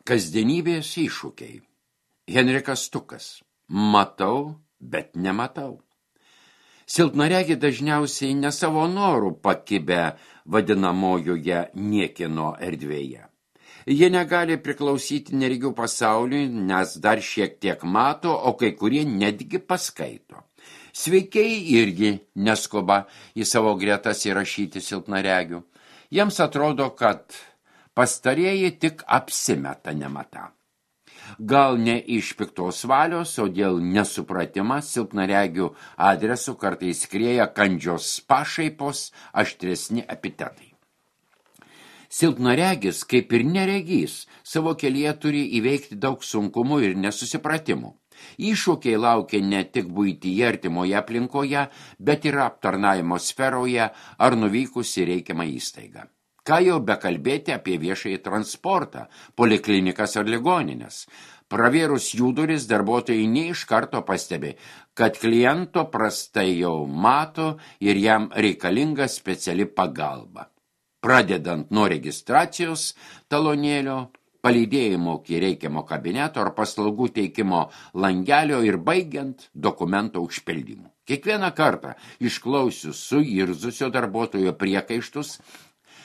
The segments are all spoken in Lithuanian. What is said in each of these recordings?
Kasdienybės iššūkiai. Henrikas Stukas. Matau, bet nematau. Silpnaregiai dažniausiai ne savo norų pakibę vadinamojoje niekieno erdvėje. Jie negali priklausyti neregių pasauliui, nes dar šiek tiek mato, o kai kurie netgi paskaito. Sveikiai irgi neskuba į savo gretas įrašyti silpnaregių. Jiems atrodo, kad pastarieji tik apsimeta nematą. Gal ne iš piktos valios, o dėl nesupratimo silpnaregių adresu kartais skrieja kandžios pašaipos, aštresni epitetai. Silpnaregis, kaip ir neregys, savo kelyje turi įveikti daug sunkumų ir nesusipratimų. Iššūkiai laukia ne tik buityje artimoje aplinkoje, bet ir aptarnavimo sferoje ar nuvykus į reikiamą įstaigą. Ką jau bekalbėti apie viešąjį transportą, poliklinikas ar ligoninės. Pravėrus jų duris darbuotojai ne iš karto pastebi, kad kliento prastai jau mato ir jam reikalinga speciali pagalba. Pradedant nuo registracijos talonėlio, palydėjimo iki reikiamo kabineto ar paslaugų teikimo langelio ir baigiant dokumento užpildymu. Kiekvieną kartą išklausius suirzusio darbuotojo priekaištus,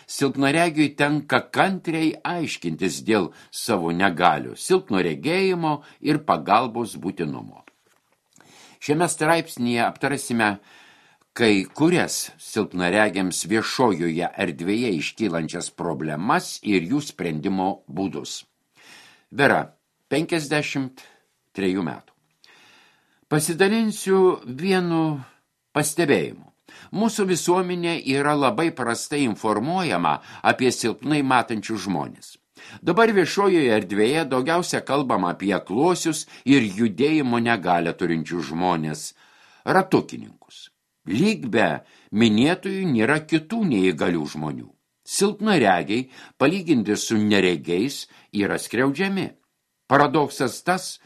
silpnaregiui tenka kantriai aiškintis dėl savo negalių, silpno regėjimo ir pagalbos būtinumo. Šiame straipsnyje aptarsime kai kurias silpnaregiams viešojoje erdvėje iškylančias problemas ir jų sprendimo būdus. Vera, 53 metų. Pasidalinsiu vienu pastebėjimu. Mūsų visuomenė yra labai prastai informuojama apie silpnai matančius žmonės. Dabar viešojoje erdvėje daugiausia kalbama apie akluosius ir judėjimo negalią turinčius žmonės, ratukininkus. Lyg be minėtųjų nėra kitų neįgalių žmonių. Silpnaregiai, palyginti su neregiais, yra skriaudžiami. Paradoksas tas,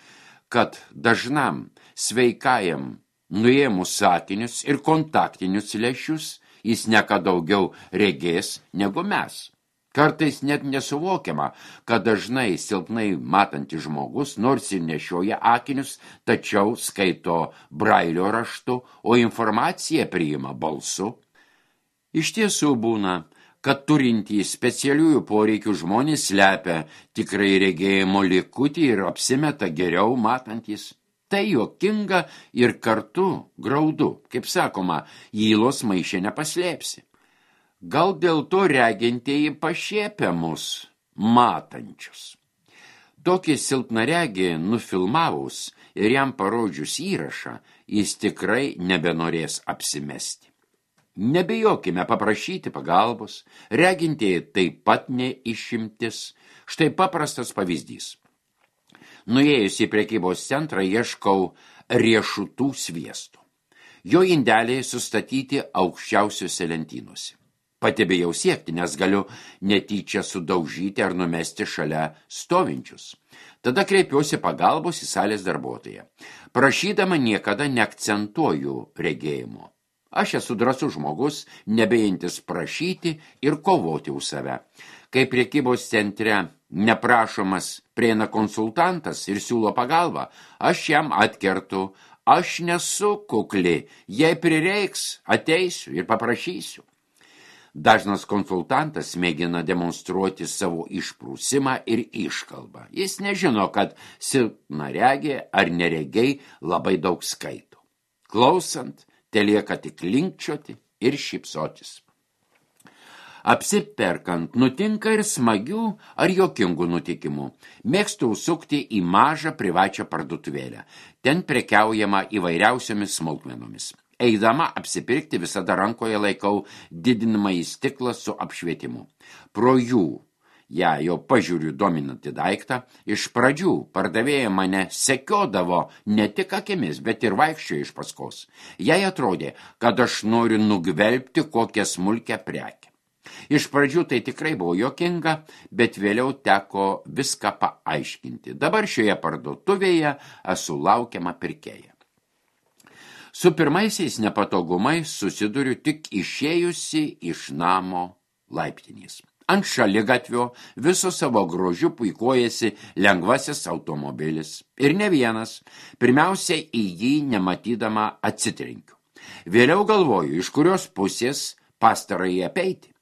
kad dažnam sveikajam nuėmus sakinius ir kontaktinius lęšius, jis ne ką daugiau regės negu mes. Kartais net nesuvokiama, kad dažnai silpnai matantis žmogus, nors ir nešioja akinius, tačiau skaito brailio raštu, o informaciją priima balsu. Iš tiesų būna, kad turintys specialiųjų poreikių žmonės slepia tikrai regėjimo likutį ir apsimeta geriau matantis. Tai juokinga ir kartu graudu, kaip sakoma, ylos maiše nepaslėpsi. Gal dėl to regintieji pašiepia mus matančius. Tokį silpnaregį nufilmavus ir jam parodžius įrašą, jis tikrai nebenorės apsimesti. Nebijokime paprašyti pagalbos, regintieji taip pat neišimtis. Štai paprastas pavyzdys. Nuėjus į prekybos centrą ieškau riešutų sviesto. Jo indeliai sustatyti aukščiausiuose lentynuose. Pati bijau siekti, nes galiu netyčia sudaužyti ar numesti šalia stovinčius. Tada kreipiuosi pagalbos į salės darbuotoją. Prašydama niekada neakcentuoju regėjimo. Aš esu drąsus žmogus, nebejantis prašyti ir kovoti už save. Kai prekybos centre neprašomas prieina konsultantas ir siūlo pagalbą, aš jam atkertu, aš nesu kukli, jei prireiks, ateisiu ir paprašysiu. Dažnas konsultantas mėgina demonstruoti savo išprūsimą ir iškalbą. Jis nežino, kad silpnaregiai ar neregiai labai daug skaito. Klausant, telieka tik linkčioti ir šypsotis. Apsiperkant nutinka ir smagių ar jokingų nutikimų. Mėgstu užsukti į mažą privačią parduotuvėlę. Ten prekiaujama įvairiausiomis smulkmenomis. Eidama apsipirkti visada rankoje laikau didinamąjį stiklą su apšvietimu. Pro jų, jau pažiūriu dominantį daiktą, iš pradžių pardavėja mane sekiodavo ne tik akimis, bet ir vaikščiojo iš paskos. Jai atrodė, kad aš noriu nugvelbti kokią smulkę prekę. Iš pradžių tai tikrai buvo jokinga, bet vėliau teko viską paaiškinti. Dabar šioje parduotuvėje esu laukiama pirkėja. Su pirmaisiais nepatogumais susiduriu tik išėjusi iš namo laiptinės. Ant šaligatvio viso savo grožiu puikuojasi lengvasis automobilis. Ir ne vienas, pirmiausia į jį nematydama atsitrenkiu. Vėliau galvoju, iš kurios pusės pastarąjį apeiti.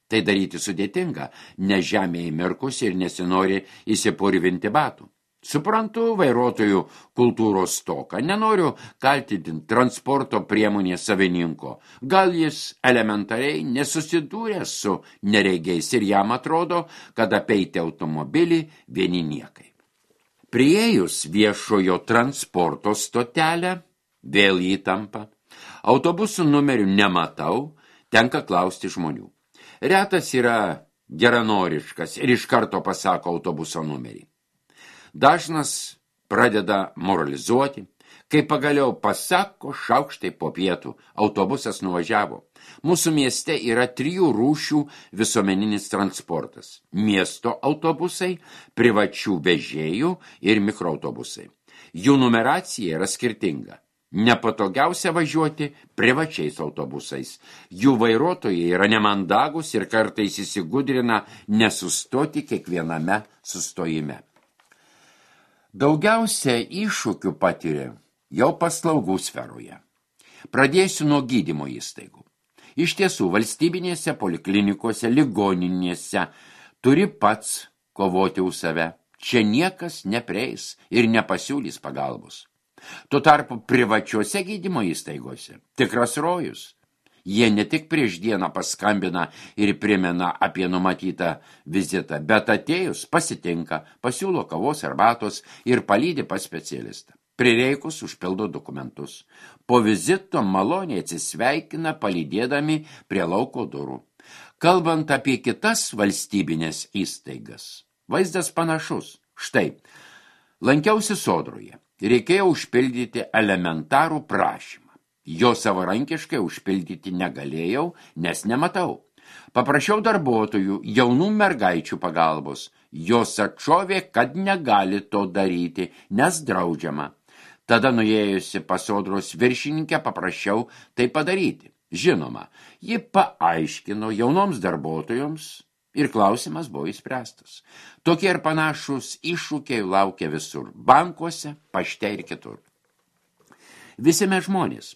Tai daryti sudėtinga, nes žemė įmirkus ir nesinori įsipurvinti batų. Suprantu vairuotojų kultūros stoką, nenoriu kaltinti transporto priemonės savininko. Gal jis elementariai nesusidūrė su neregiais ir jam atrodo, kad apeiti automobilį vieni niekai. Priėjus viešojo transporto stotelę, vėl įtampa. Autobusų numerių nematau, tenka klausti žmonių. Retas yra geranoriškas ir iš karto pasako autobuso numerį. Dažnas pradeda moralizuoti, kai pagaliau pasako šaukštai po pietų, autobusas nuvažiavo. Mūsų mieste yra 3 rūšių visuomeninis transportas. Miesto autobusai, privačių vežėjų ir mikroautobusai. Jų numeracija yra skirtinga. Nepatogiausia važiuoti privačiais autobusais. Jų vairuotojai yra nemandagus ir kartais įsigudrina nesustoti kiekviename sustojime. Daugiausia iššūkių patiria jau paslaugų sferoje. Pradėsiu nuo gydymo įstaigų. Iš tiesų, valstybinėse poliklinikose, ligoninėse turi pats kovoti už save. Čia niekas neprieis ir nepasiūlys pagalbos. Tuo tarpu privačiuose gydymo įstaigose tikras rojus. Jie ne tik prieš dieną paskambina ir primena apie numatytą vizitą, bet atėjus pasitinka, pasiūlo kavos arbatos ir palydi pas specialistą. Prireikus užpildo dokumentus. Po vizito maloniai atsisveikina palydėdami prie lauko durų. Kalbant apie kitas valstybinės įstaigas, vaizdas panašus. Štai, lankiausi Sodroje. Reikėjo užpildyti elementarų prašymą. Jo savarankiškai užpildyti negalėjau, nes nematau. Paprašiau darbuotojų, jaunų mergaičių pagalbos. Jos atšovė, kad negali to daryti, nes draudžiama. Tada nuėjusi pas Sodros viršininkę paprašiau tai padaryti. Žinoma, ji paaiškino jaunoms darbuotojoms ir klausimas buvo išspręstas. Tokie ir panašus iššūkiai laukia visur, bankuose, pašte ir kitur. Visi mes žmonės.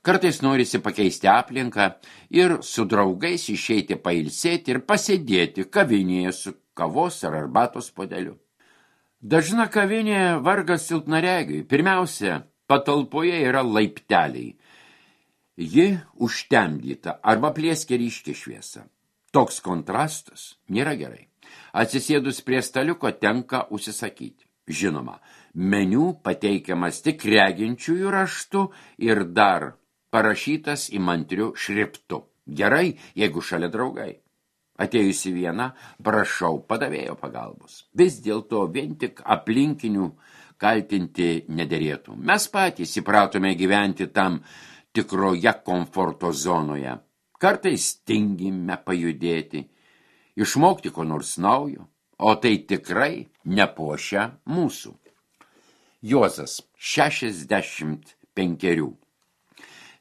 Kartais norisi pakeisti aplinką ir su draugais išeiti pailsėti ir pasėdėti kavinėje su kavos ar arbatos puodeliu. Dažna kavinė vargas silpnaregiui. Pirmiausia, patalpoje yra laipteliai. Ji užtemdyta arba pliekia ryški šviesa. Toks kontrastas nėra gerai. Atsisėdus prie staliuko tenka užsisakyti. Žinoma, meniu pateikiamas tik reginčiųjų raštu ir dar parašytas įmantriu šriftu. Gerai, jeigu šalia draugai. Atėjusi viena, prašau padavėjo pagalbos. Vis dėlto vien tik aplinkinių kaltinti nederėtų. Mes patys įpratome gyventi tam tikroje komforto zonoje. Kartais tingime pajudėti, išmokti ko nors naujo, o tai tikrai nepuošia mūsų. Juozas, 65.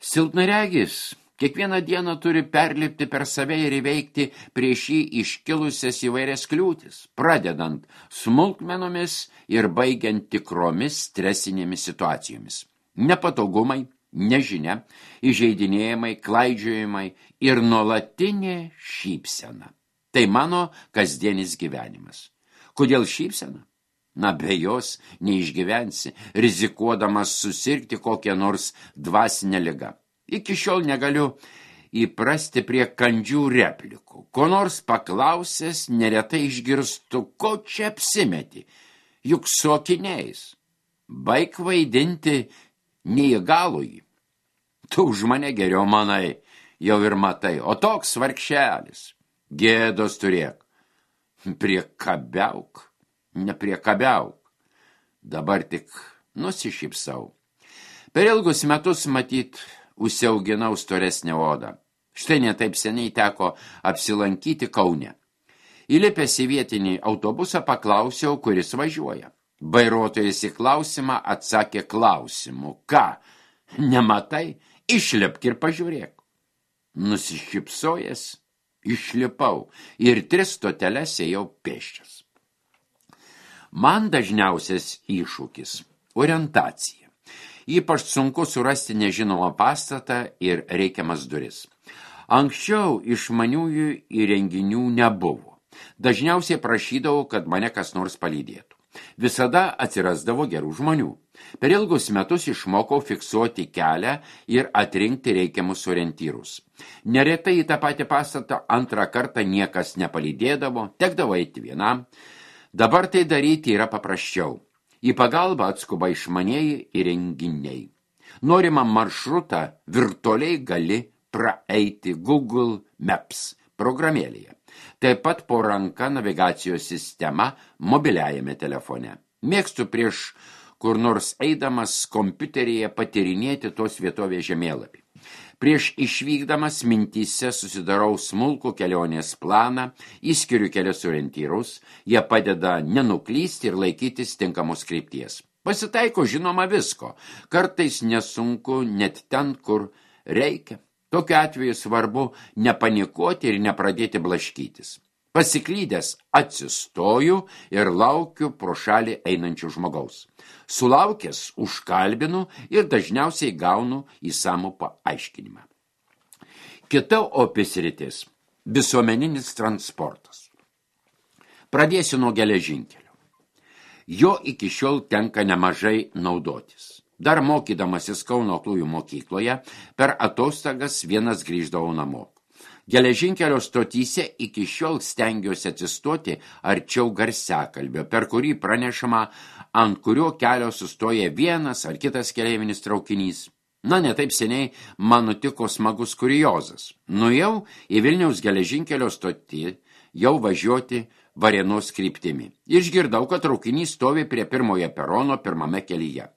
Silpnaregis kiekvieną dieną turi perlipti per save ir įveikti prieš jį iškilusias įvairias kliūtis, pradedant smulkmenomis ir baigiant tikromis stresinėmis situacijomis. Nepatogumai, nežinia, įžeidinėjimai, klaidžiojimai ir nuolatinė šypsena. Tai mano kasdienis gyvenimas. Kodėl šypsena? Na, be jos neišgyvensi, rizikuodamas susirgti kokią nors dvasinę ligą. Iki šiol negaliu įprasti prie kandžių replikų. Ko nors paklausęs, neretai išgirstu, ko čia apsimeti, juk su akiniais. Baik vaidinti neįgalųjį. Tu už mane geriau manai, jau ir matai, o toks vargšelis. Gėdos turėk. Priekabiauk. Nepriekabiauk. Dabar tik nusišypsau. Per ilgus metus matyt užsiauginau storesnę odą. Štai netaip seniai teko apsilankyti Kaune. Įlipęs į vietinį autobusą paklausiau, kuris važiuoja. Vairuotojas į klausimą atsakė klausimu. Ką? Nematai? Išlipk ir pažiūrėk. Nusišypsojęs, Išlipau ir 3 stoteles ėjau pėsčias. Man dažniausias iššūkis – orientacija. Ypač sunku surasti nežinomą pastatą ir reikiamas duris. Anksčiau išmaniųjų įrenginių nebuvo. Dažniausiai prašydavau, kad mane kas nors palydėtų. Visada atsirasdavo gerų žmonių. Per ilgus metus išmokau fiksuoti kelią ir atrinkti reikiamus orientyrus. Neretai į tą patį pastatą antrą kartą niekas nepalydėdavo, tekdavo eiti vienam. Dabar tai daryti yra paprasčiau. Į pagalbą atskuba išmanieji įrenginiai. Norimą maršrutą virtualiai gali praeiti Google Maps programėlėje. Taip pat po ranka navigacijos sistema mobiliajame telefone. Mėgstu prieš kur nors eidamas kompiuteryje patyrinėti tos vietovės žemėlapį. Prieš išvykdamas mintyse susidarau smulkų kelionės planą, įskiriu kelias orientyrus, jie padeda nenuklysti ir laikytis tinkamos krypties. Pasitaiko žinoma visko, kartais nesunku net ten, kur reikia. Tokiu atveju svarbu nepanikuoti ir nepradėti blaškytis. Pasiklydęs atsistoju ir laukiu pro šalį einančių žmogaus. Sulaukęs užkalbinu ir dažniausiai gaunu įsamų paaiškinimą. Kita opi sritis – visuomeninis transportas. Pradėsiu nuo geležinkelio. Jo iki šiol tenka nemažai naudotis. Dar mokydamasis Kauno aklųjų mokykloje, per atostogas vienas grįždavau namo. Geležinkelio stotyse iki šiol stengiuosi atsistoti arčiau garsiakalbio, per kurį pranešama, ant kurio kelio sustoja vienas ar kitas keleivinis traukinys. Ne taip seniai man nutiko smagus kuriozas. Nuėjau į Vilniaus geležinkelio stotį jau važiuoti Varėnos kryptimi. Išgirdau, kad traukinys stovi prie pirmojo perono pirmame kelyje.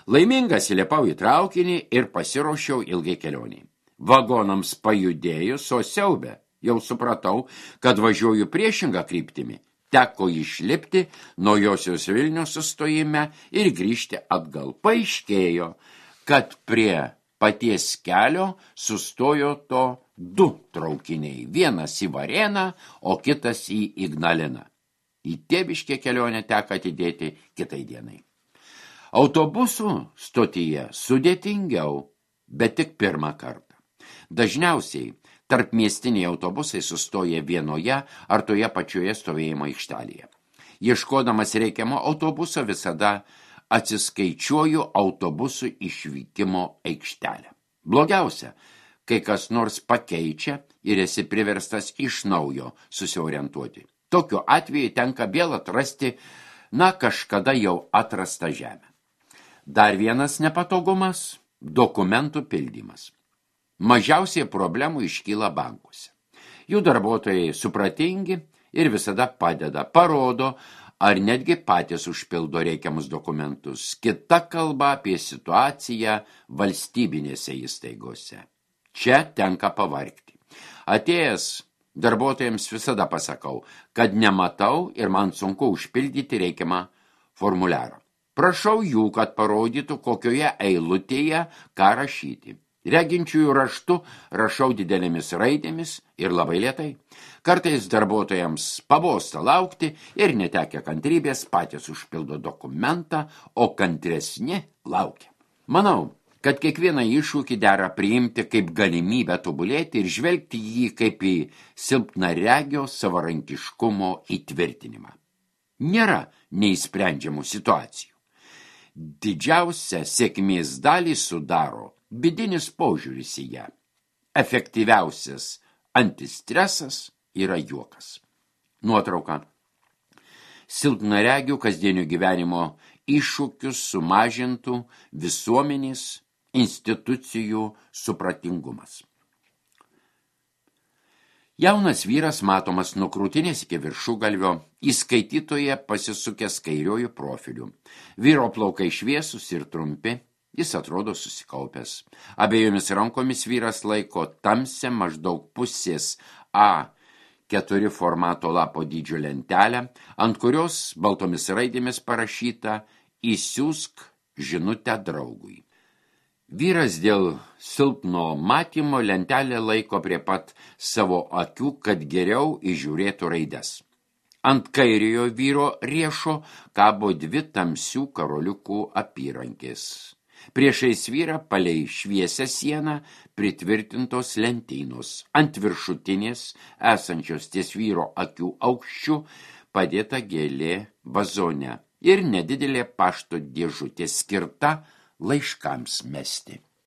Laimingas įlipau į traukinį ir pasiruošiau ilgai kelioniai. Vagonams pajudėjus, o siaube, jau supratau, kad važiuoju priešingą kryptimį. Teko išlipti naujosios Vilnios sustojime ir grįžti atgal. Paaiškėjo, kad prie paties kelio sustojo to 2 traukiniai. Vienas į Varėną, o kitas į Ignaliną. Į Tėviškę kelionę teko atidėti kitai dienai. Autobusų stotyje sudėtingiau, bet tik pirmą kartą. Dažniausiai tarpmiestiniai autobusai sustoja vienoje ar toje pačioje stovėjimo aikštelėje. Ieškodamas reikiamo autobuso visada atsiskaičiuoju autobusų išvykimo aikštelę. Blogiausia, kai kas nors pakeičia ir esi priverstas iš naujo susiorientuoti. Tokiu atveju tenka vėl atrasti, kažkada jau atrastą žemę. Dar vienas nepatogumas – dokumentų pildymas. Mažiausiai problemų iškyla bankuose. Jų darbuotojai supratingi ir visada padeda, parodo, ar netgi patys užpildo reikiamus dokumentus. Kita kalba apie situaciją valstybinėse įstaigose. Čia tenka pavargti. Atėjęs darbuotojams visada pasakau, kad nematau ir man sunku užpildyti reikiamą formuliarą. Prašau jų, kad parodytų, kokioje eilutėje ką rašyti. Reginčiųjų raštu rašau didelėmis raidėmis ir labai lėtai. Kartais darbuotojams pabosta laukti ir netekę kantrybės patys užpildo dokumentą, o kantresni laukia. Manau, kad kiekvieną iššūkį dera priimti kaip galimybę tobulėti ir žvelgti jį kaip į silpnaregio savarankiškumo įtvirtinimą. Nėra neįsprendžiamų situacijų. Didžiausią sėkmės dalį sudaro vidinis požiūris į ją. Efektyviausias antistresas yra juokas. Nuotrauka. Silpnaregių kasdienio gyvenimo iššūkius sumažintų visuomenės institucijų supratingumas. Jaunas vyras matomas nuo krūtinės iki viršugalvio, įskaitytoje pasisukęs kairiuoju profiliu. Vyro plaukai šviesūs ir trumpi, jis atrodo susikaupęs. Abiejomis rankomis vyras laiko tamsią maždaug pusės A4 formato lapo dydžio lentelę, ant kurios baltomis raidėmis parašyta "Įsiųsk žinutę draugui". Vyras dėl silpno matymo lentelę laiko prie pat savo akių, kad geriau įžiūrėtų raides. Ant kairiojo vyro riešo kabo 2 tamsių karoliukų apyrankės. Priešais vyrą palei šviesią sieną pritvirtintos lentynos. Ant viršutinės, esančios ties vyro akių aukščių, padėta gėlė vazone ir nedidelė pašto dėžutė skirta laiškams mesti.